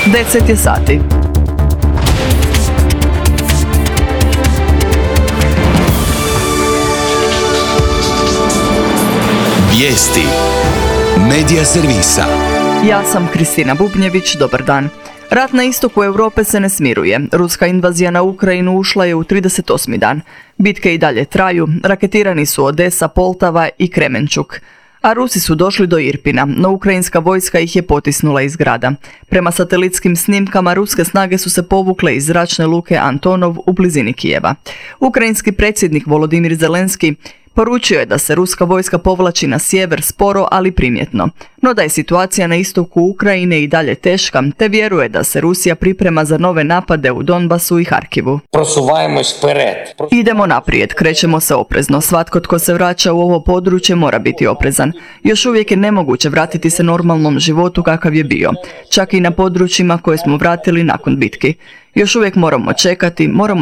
10 je sati. Vijesti Medija servisa. Ja sam Kristina Bubnjević, dobar dan. Rat na istoku Europe se ne smiruje. Ruska invazija na Ukrajinu ušla je u 38. dan. Bitke i dalje traju, raketirani su Odesa, Poltava i Kremenčuk. A Rusi su došli do Irpina, no ukrajinska vojska ih je potisnula iz grada. Prema satelitskim snimkama, ruske snage su se povukle iz zračne luke Antonov u blizini Kijeva. Ukrajinski predsjednik Volodimir Zelenski poručio je da se ruska vojska povlači na sjever sporo, ali primjetno. No da je situacija na istoku Ukrajine i dalje teška, te vjeruje da se Rusija priprema za nove napade u Donbasu i Harkivu. Idemo naprijed, krećemo se oprezno. Svatko tko se vraća u ovo područje mora biti oprezan. Još uvijek je nemoguće vratiti se normalnom životu kakav je bio, čak i na područjima koje smo vratili nakon bitki. Još uvijek moramo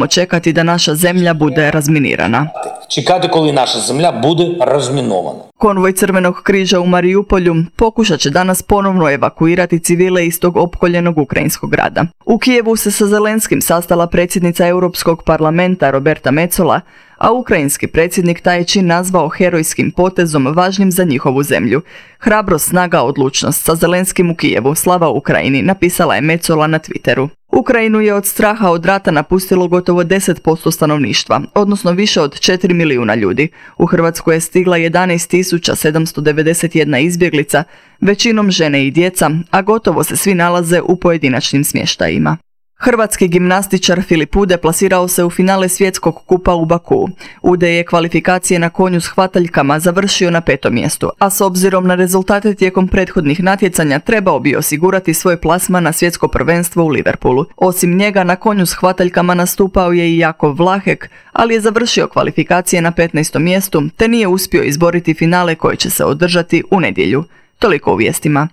čekati da naša zemlja bude razminirana. Čekati коли naša zemlja bude razminovana. Konvoj Crvenog križa u Mariupolju pokušat će danas ponovno evakuirati civile iz tog opkoljenog ukrajinskog grada. U Kijevu se sa Zelenskim sastala predsjednica Europskog parlamenta Roberta Metsola, a ukrajinski predsjednik taj je čin nazvao herojskim potezom važnim za njihovu zemlju. Hrabrost, snaga, odlučnost sa Zelenskim u Kijevu, slava Ukrajini, napisala je Metsola na Twitteru. Ukrajinu je od straha od rata napustilo gotovo 10% stanovništva, odnosno više od 4 milijuna ljudi. U Hrvatsku je stigla 11.791 izbjeglica, većinom žene i djeca, a gotovo se svi nalaze u pojedinačnim smještajima. Hrvatski gimnastičar Filip Ude plasirao se u finale svjetskog kupa u Bakuu. Ude je kvalifikacije na konju s hvataljkama završio na 5. mjestu, a s obzirom na rezultate tijekom prethodnih natjecanja trebao bi osigurati svoj plasman na svjetsko prvenstvo u Liverpoolu. Osim njega na konju s hvataljkama nastupao je i Jakov Vlahek, ali je završio kvalifikacije na 15. mjestu te nije uspio izboriti finale koji će se održati u nedjelju. Toliko u vijestima.